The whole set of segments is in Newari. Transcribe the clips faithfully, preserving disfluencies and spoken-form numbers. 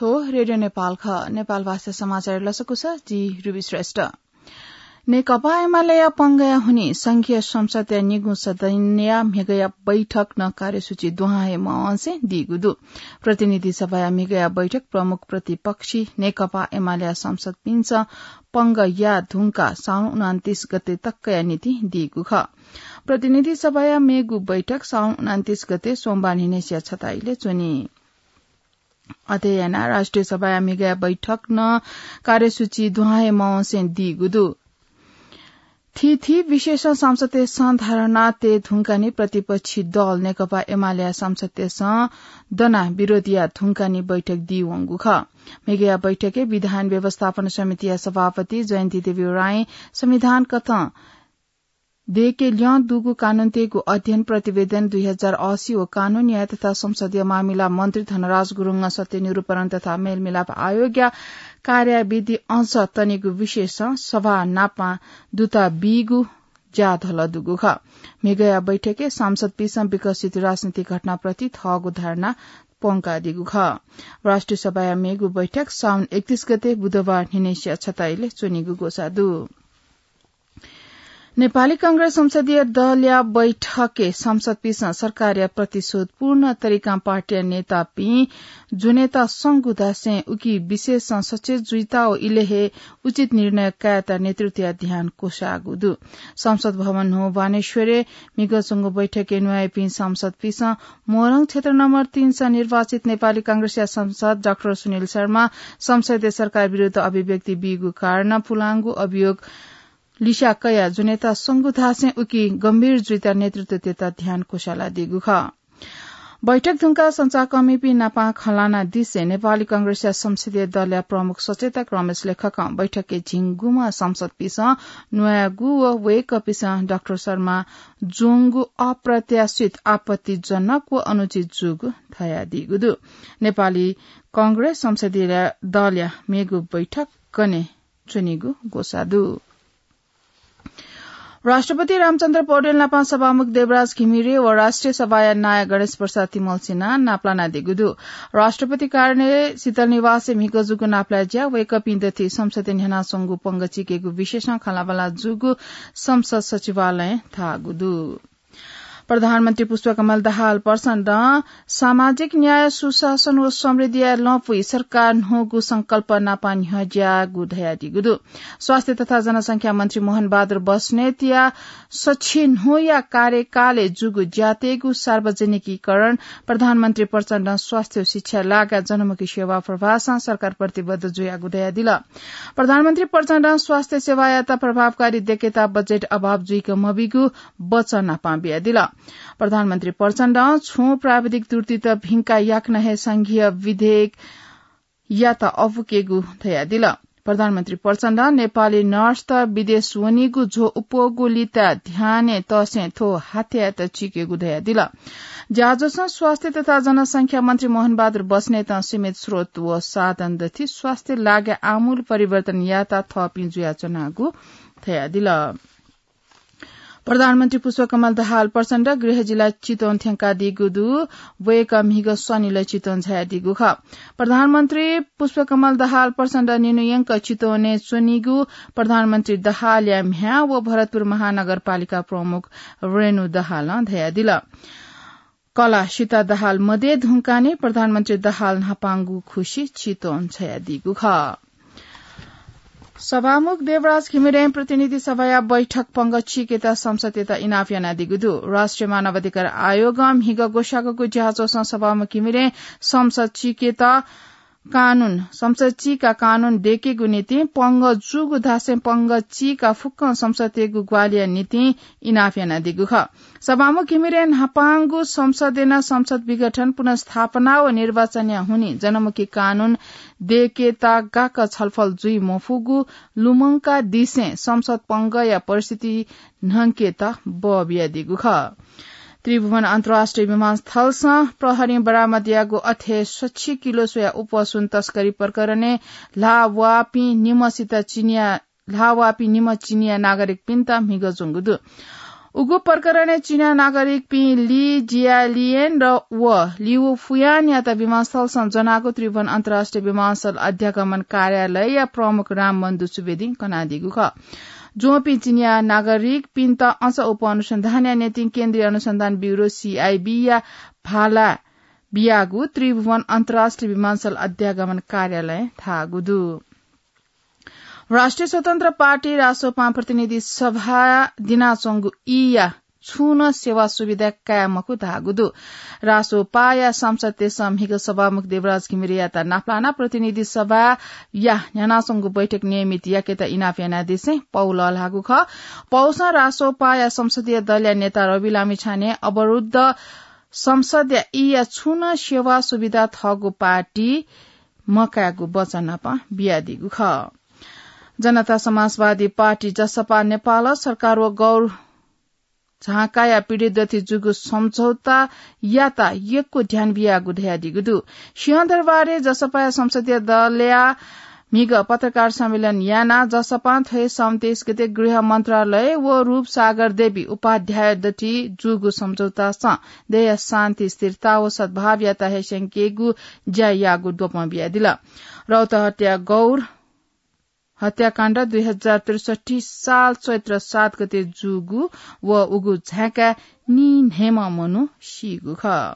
थ्व रेडियो नेपाल खः। नेपाल भाषा समाचार लसकुस, जि रुबी श्रेष्ठ। नेकपा एमालेया पंगया हुनि संघीय संसदया निगू सदनया म्हिगया बैठक नं कार्यसूची दुहां हे मवंसे दीगु दु। प्रतिनिधि सभाया म्हिगया बैठक प्रमुख प्रतिपक्षी नेकपा एमालेया सांसदपिन्सं पंगया धुंकाः साउन उनान्तीस गते तकया निंतिं दीगु खः। प्रतिनिधि सभाया मेगु बैठक साउन उनान्तीस गते सोमबार न्हिनय्सिया छता इलय् च्वनी। अथे यानाः राष्ट्रिय सभाया म्हिगया बैठक नं कार्यसूची दुहां हे मवंसे दीगु दु। थीथी विषयसं सांसदतय्सं धारणा तये धुंकाः नि प्रतिपक्षी दल नेकपा एमालेया सांसदतय्सं दनाः विरोध याये धुंकाः नि बैठक दीवंगु खः। म्हिगया बैठकय् विधान व्यवस्थापन समितिया सभापति जयन्ती देवी राई, संविधान कथं दय्के ल्यं दुगु कानूनतय्गु अध्ययन प्रतिवेदन दुई हजार असी व कानून, न्याय तथा संसदीय मामिला मन्त्री धनराज गुरुङं सत्य निरूपण तथा मेलमिलाप आयोगया कार्याविधि अझ तनेगु विषयसं सभा नापं दुता बीगु ज्याधल दुगु खः। म्हिगया बैठकय् सांसदपिन्सं विकसित राजनीतिक घटनाप्रति थःगु धारणा प्वंकादीगु खः। राष्ट्रिय सभाया मेगु बैठक साउन एकतीस गते बुधबार न्हिनय्सिया छता इलय् च्वनीगु ग्वसाः दु। नेपाली कांग्रेस संसदीय दलया बैठकय् सांसदपिन्सं सरकारया प्रतिशोधपूर्ण तरिकां पार्टीया नेतापिं ज्वनेत संगु धासें उकी विषयसं सचेत जुइत व इलय् हे उचित निर्णय कायेत नेतृत्वया ध्यान क्वसाःगु दु। संसद भवन न्हू बानेश्वरय् म्हिगः च्वंगु बैठकय् न्वाइपिं सांसदपिन्सं मोरङ क्षेत्र नम्बर तीनसं निर्वाचित नेपाली कांग्रेसया सांसद डाक्टर सुनिल शर्मा संसदीय सरकार विरुद्ध अभिव्यक्ति बीगु कारणं पुलांगु अभियोग लिस्या कयाः ज्वनेत संगु धासें उकी गम्भीर जुइत नेतृत्वतय्त ध्यान क्वसालादीगु खः। बैठक धुंकाः संचारकर्मीपिं नापं खँ ल्हानादिसें नेपाली कांग्रेसया संसदीय दलया प्रमुख सचेतक रमेश लेखकं बैठकय् झिंगुम्ह सांसदपिन्सं न्वायेगु व वय्कःपिन्सं डाक्टर शर्मा ज्वंगु अप्रत्याशित, आपत्तिजनक व अनुचित जूगु धयादीगु दु। नेपाली कांग्रेस संसदीय दलया मेगु बैठक गने च्वनीगु ग्वसाः दु। राष्ट्रपति रामचन्द्र पौडेल नापं सभामुख देवराज घिमिरे व राष्ट्रिय सभाया नायः गणेश प्रसाद तिमल्सिनां नापलानादीगु दु। राष्ट्रपति कार्यालय शीतल निवासय् म्हिगः जूगु नापलाये ज्या वय्कःपिं दथुइ संसदय् न्ह्यानाच्वंगु पंगः चीकेगु विषयसं खँल्हाबल्हा जूगु संसद सचिवालयं धाःगु दु। प्रधानमन्त्री पुष्पकमल दाहाल प्रचण्डं सामाजिक न्याय, सुशासन व समृद्धिया लँपुइ सरकार न्हूगु संकल्प नापं न्ह्यज्याःगु धयादीगु दु। स्वास्थ्य तथा जनसंख्या मन्त्री मोहन बहादुर बस्नेतया सछि न्हूया कार्यकालय् जूगु ज्यातय्गु सार्वजनिकीकरण, प्रधानमन्त्री प्रचण्डं स्वास्थ्य व शिक्षा लागाय् जनमुखी सेवा प्रवाहसं सरकार प्रतिबद्ध जुयागु धयादिल। प्रधानमन्त्री प्रचण्डं स्वास्थ्य सेवायात प्रभावकारी दय्केत बजेट अभाव जुइक मबीगु वचन नापं बियादिल। प्रधानमन्त्री प्रचण्डं छुं प्राविधिक त्रुटित भिंकाः याकनं हे संघीय विधेयकयात अःपुकेगु धयादिल। प्रधानमन्त्री प्रचण्डं नेपाली नर्सत विदेश वनीगु झ्वः अप्वःगु लिपा ध्यानय् तःसें थ्व हाथ्यायेत चीकेगु धयादिल। ज्याझ्वलय् स्वास्थ्य तथा जनसंख्या मन्त्री मोहन बहादुर बस्नेतं सीमित स्रोत व साधन दथुइ स्वास्थ्य लागाय् आमूल परिवर्तन यायेत थःपिं जुयाच्वनागु धयादिल। प्रधानमन्त्री पुष्पकमल दाहाल प्रचण्ड गृह जिल्ला चितवन थ्यंकादीगु दु। वय्कः म्हिगः स्वनिलय् चितवन झायादीगु खः। प्रधानमन्त्री पुष्पकमल दाहाल प्रचण्ड निन्हु यंक चितवनय् च्वनीगु प्रधानमन्त्री दाहालया म्ह्याय् व भरतपुर महानगरपालिका प्रमुख रेणु दाहालं धयादिल। कला सीता दाहाल मदये धुंकाः नि प्रधानमन्त्री दाहाल न्हापांगु खुसि चितवन झायादीगु खः। सभामुख देवराज घिमिरें प्रतिनिधि सभाया बैठक पंगः चीकेत संसदयात इनाप यानादीगु दु। राष्ट्रिय मानवाधिकार आयोगं म्हिगः ग्वसाःगु ज्याझ्वलय् सभामुख घिमिरें संसद चीकेत कानून, संसद चीकाः कानून दय्केगु निंतिं पंगः जूगु धासें पंगः चीकाः फुक्कं संसदयागु ग्वाहालिया निंतिं इनाप यानादीगु खः। सभामुख घिमिरें न्हापांगु संसदय् नं संसद विघटन, पुनर्स्थापना व निर्वाचनया हुनिं जनमुखी कानून दय्केत गाक्क छलफल जुइ मफुगु लुमंकादिसें संसद पंगःया परिस्थिति न्हंकेत बः बियादीगु खः। त्रिभुवन अन्तर्राष्ट्रिय विमानस्थलसं प्रहरीं बरामद याःगु अथे सछि किलो स्वया अप्वः सुन तस्करी प्रकरणय् ल्हाः वाःपिं निम्हसित चिनिया ल्हाः वाःपिं निम्ह चिनिया नागरिकपिन्त म्हिगः ज्वंगु दु। उगु प्रकरणय् चीना नागरिकपिं ली जियालियन र व लिउ फुयानयात विमानस्थलसं ज्वनागु त्रिभुवन अन्तर्राष्ट्रिय विमानस्थल अध्यागमन कार्यालयया प्रमुख रामबन्धु सुवेदीं कनादीगु खः। ज्वंपिं चीनिया नागरिकपिन्त अझ उपअनुसन्धानया निंतिं केन्द्रीय अनुसन्धान ब्यूरो, सीआईबी, या भाला बियागु त्रिभुवन अन्तर्राष्ट्रिय विमानस्थल अध्यागमन कार्यालयं धाःगु दु। राष्ट्रिय स्वतन्त्र पार्टी रासोपां प्रतिनिधि सभा दिनाच्वंगु ईया छुं नं सेवा सुविधा काये मखु धाःगु दु। रासोपाया सांसदतय्सं म्हिगः सभामुख देवराज घिमिरेयात नापलानाः प्रतिनिधि सभाया न्ह्यानाच्वंगु बैठक नियमित याकेत इनाप यानादिसें पौ लःल्हाःगु खः। पौसं रासोपाया संसदीय दलया नेता रवि लामिछाने अवरुद्ध संसदया ईया छुं नं सेवा सुविधा थःगु पार्टी मकायेगु वचन नापं बियादीगु खः। जनता समाजवादी पार्टी, जसपा, नेपाल सरकार व गौर झाँकाया पीडित दथुइ जूगु सम्झौतायात यक्व ध्यान बियागु धयादीगु दु। सिंहदरबारय् जसपाया संसदीय दलया म्हिगः पत्रकार सम्मेलन यानाः जसपां थ्व सन्ताइस गते गृह मन्त्रालय व रूपसागर देवी उपाध्याय दथुइ जूगु सम्झौतासं देय्या शान्ति, स्थिरता व सद्भावयात हे स्यंकेगु ज्या याःगु द्वपं बियादिल। रौतहटया गौर हत्याकाण्ड दुई हजार त्रिसठी साल चैत्र सात गते जूगु व उगु झाय्काय् नीन्हय्म्ह मनू सीगु खः।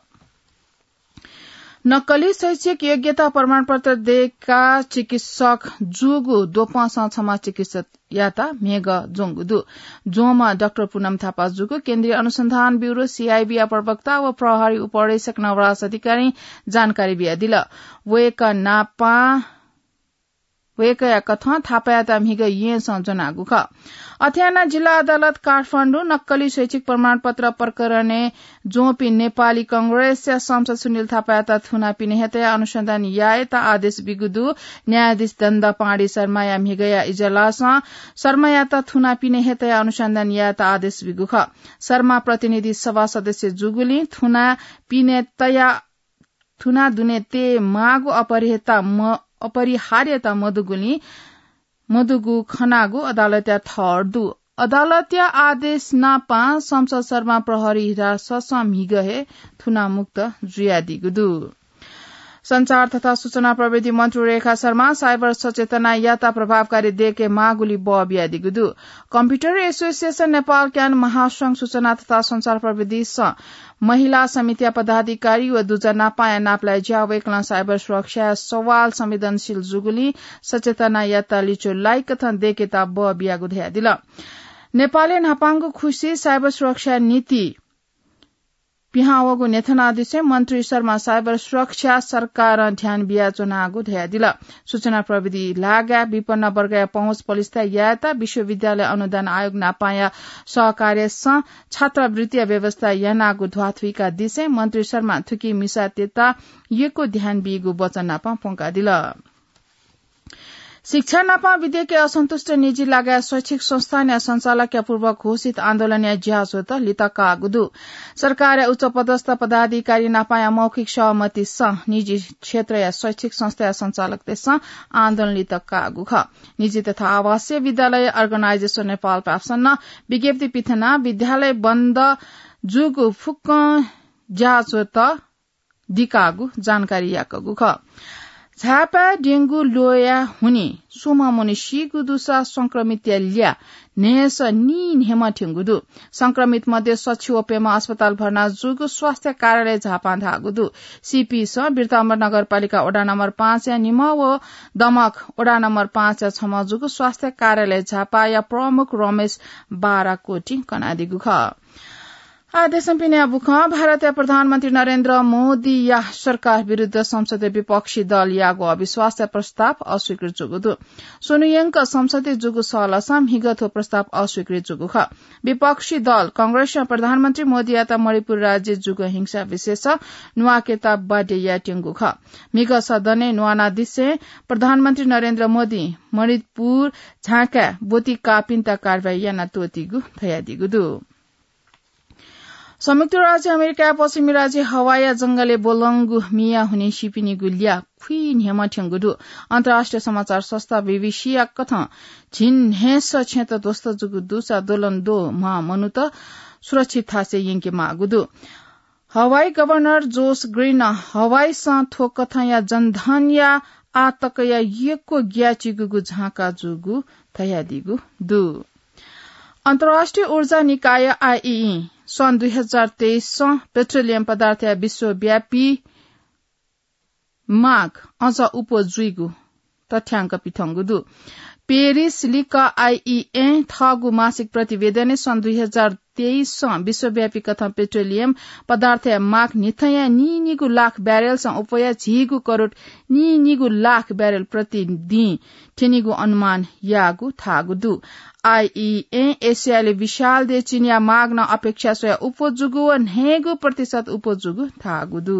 नक्कली शैक्षिक योग्यता प्रमाणपत्र दय्काः चिकित्सक जूगु द्वपंसं छम्ह चिकित्सकयात म्हिगः ज्वंगु दु। ज्वंम्ह डाक्टर पुनम थापा जूगु केन्द्रीय अनुसन्धान ब्यूरो, सीआईबीया प्रवक्ता व प्रहरी उपरीक्षक नवराज अधिकारीं जानकारी बियादिल। वय्कः नापं वय्कःया कथं थापायात म्हिगः येँसं ज्वनागु खः। अथे यानाः जिल्ला अदालत काठमाडौं नक्कली शैक्षिक प्रमाणपत्र प्रकरणय् ज्वंपिं नेपाली कांग्रेसया सांसद सुनिल थापायात थुना पिने हे तयाः अनुसन्धान यायेत आदेश बीगु दु। न्यायाधीश दण्ड पाँडी शर्माया म्हिगःया इजलासं शर्मायात थुना पिने हे तयाः अनुसन्धान यायेत आदेश बीगु खः। शर्मा प्रतिनिधि सभा सदस्य जूगुलिं थुना पिने तयाः थुना दुने तयेमाःगु अपरिहता म-, अपरिहार्यता मदुगुलिं, मदुगु खनागु अदालतया ठहर दु। अदालतया आदेश नापं संसद शर्मा प्रहरी हिरासतसं म्हिगः हे थुनामुक्त जुयादीगु दु। सञ्चार तथा सूचना प्रविधि मन्त्री रेखा शर्मा साइबर सचेतना याता प्रभावकारी दय्केमाःगुली बः बियादीगु दु। कम्प्युटर एसोसिएसन नेपाल क्यान महासंघ सूचना तथा सञ्चार प्रविधिसं महिला समितिया पदाधिकारी व दुजः नापांया नापलाये ज्या वय्कलं साइबर सुरक्षाया सवाल संवेदनशील जूगुलिं सचेतना याता लिच्वः लाइकथं दय्केत बः बियागु धयादिल। नेपालय् न्हापांगु खुसि साइबर सुरक्षा नीति पिहां वःगु न्ह्यथनादिसें मन्त्री शर्मा साइबर सुरक्षा सरकारं ध्यान बियाच्वनागु धयादिल। सूचना प्रविधि लागाय् विपन्न वर्गया पहुँच पलिस्था यायेत विश्वविद्यालय अनुदान आयोग नापांया सहकार्यसं छात्रवृत्तिया व्यवस्था यानागु ध्वाथुइकादिसें मन्त्री शर्मां थुकी मिसातय्त यक्व ध्यान बीगु वचन नापं प्वंकादिल। शिक्षा नापं विधेयकय् असन्तुष्ट निजी लगायत शैक्षिक संस्थानया सञ्चालकया पूर्व घोषित आन्दोलनया ज्याझ्वःत लित काःगु दु। सरकारया उच्चपदस्थ पदाधिकारी नापांया मौखिक सहमतिसं निजी क्षेत्रया शैक्षिक संस्थाया सञ्चालकतय्सं आन्दोलन लित काःगु खः। निजी तथा आवासीय विद्यालय अर्गनाइजेसन नेपाल प्याप्सनं विज्ञप्ति पिथनाः विद्यालय बन्द जूगु फुक्कं ज्याझ्वःत दिकाःगु जानकारी याकूगु खः। झापाय् डेंगु ल्वःया हुनिं स्वम्ह मनू सीगु दुसा संक्रमितया ल्याः न्हय्सः नीन्हय्म्ह थ्यंगु दु। संक्रमित मध्ये सछि व प्यम्ह अस्पताल भर्ना जूगु स्वास्थ्य कार्यालय झापां धाःगु दु। सीपीसं बिर्तामोर नगरपालिका वडा नम्बर पाँचया निम्ह व दमक वडा नम्बर पाँचया छम्ह जूगु स्वास्थ्य कार्यालय झापाया प्रमुख रमेश बाराकोटीं कनादीगु खः। आः देशं पिने बुखँ। भारतया प्रधानमन्त्री नरेन्द्र मोदीया सरकार विरुद्ध संसदय् विपक्षी दलयागु अविश्वासया प्रस्ताव अस्वीकृत जूगु दु। स्वन्हुयंक संसदय् जूगु सहलसं म्हिगः थ्व प्रस्ताव अस्वीकृत जूगु खः। विपक्षी दल कांग्रेसं प्रधानमन्त्री मोदीयात मणिपुर राज्यय् जूगु हिंसा विषयसं न्वाकेत बाध्य यायेत्यंगु खः। म्हिगः सदनय् न्वानादिसें प्रधानमन्त्री नरेन्द्र मोदीं मणिपुर झाँकाय् ब्वति काःपिन्त कारवाही याना त्वःतीगु धयादीगु दु। संयुक्त राज्य अमेरिकाया पश्चिमी राज्य हवाईया जंगलय् ब्वलंगु मिया हुने सिपिनिगु ल्याः खुइन्हय्‌म्ह थ्यंगु दु। अन्तर्राष्ट्रिय समाचार संस्था बीबीसीया कथं झिंन्हय्‌सः छेँत ध्वस्त जूगु दुसा द्वलंद्वः म्वाः मनूत सुरक्षित थासय् यंके माःगु दु। हवाई गभर्नर जोस ग्रीनं हवाईसं थ्व कथंया जनधनया आः तकया यक्व ग्याःचिकूगु झांका जूगु धयादीगु दु। अन्तर्राष्ट्रिय ऊर्जा निकाय आईईई सन् दुई हजार तेइससं पेट्रोलियम पदार्थया विश्वव्यापी माग अझ उप्वः जुइगु तथ्याङ्क पिथंगु दु। पेरिस लिक्क आईईईं थःगु मासिक प्रतिवेदनय् सन् दुई हजार तेइससं विश्वव्यापी कथं पेट्रोलियम पदार्थया माग न्हिथंया नीनिगू लाख ब्यारेलसं उप्वया झिगू करोड नीनिगू लाख ब्यारेल प्रतिदिं थ्यनीगु अनुमान याःगु धाःगु दु। आईईईं एसियाय् विशाल देय् चिनिया माग नं अपेक्षा स्वयाः उप्वः जूगु व न्हय्‌गू प्रतिशत उप्वः जूगु धाःगु दु।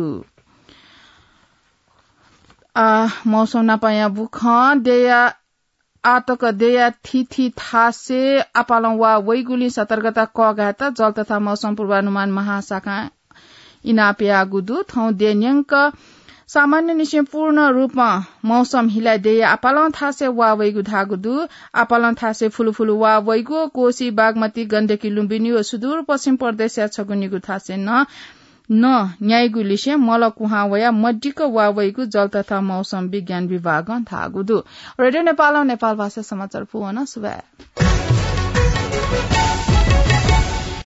आ, मौसम नापं याःगु खँ। देय्‌या आः तक देय्‌या थीथी थासय् आपालं वाः वइगुलिं सतर्कता कःघायेत जल तथा मौसम पूर्वानुमान महाशाखां इनाप याःगु दु। थौं देय् न्यंक सामान्यनिसें पूर्ण रूपं मौसम हिलाः देय्‌या आपालं थासय् वाः वइगु धाःगु दु। आपालं थासय् फुलुफुलु वाः वइगु, कोशी, बागमती, गण्डकी, लुम्बिनी व सुदूरपश्चिम प्रदेशया छगू निगू थासय् नं नं न्याइगु लिसें मल कुहां वयाः मदिक्क वाः वइगु जल तथा मौसम विज्ञान विभागं धाःगु दु। रेडियो नेपालं नेपाल भाषा समाचार पूवन। सुभाय्।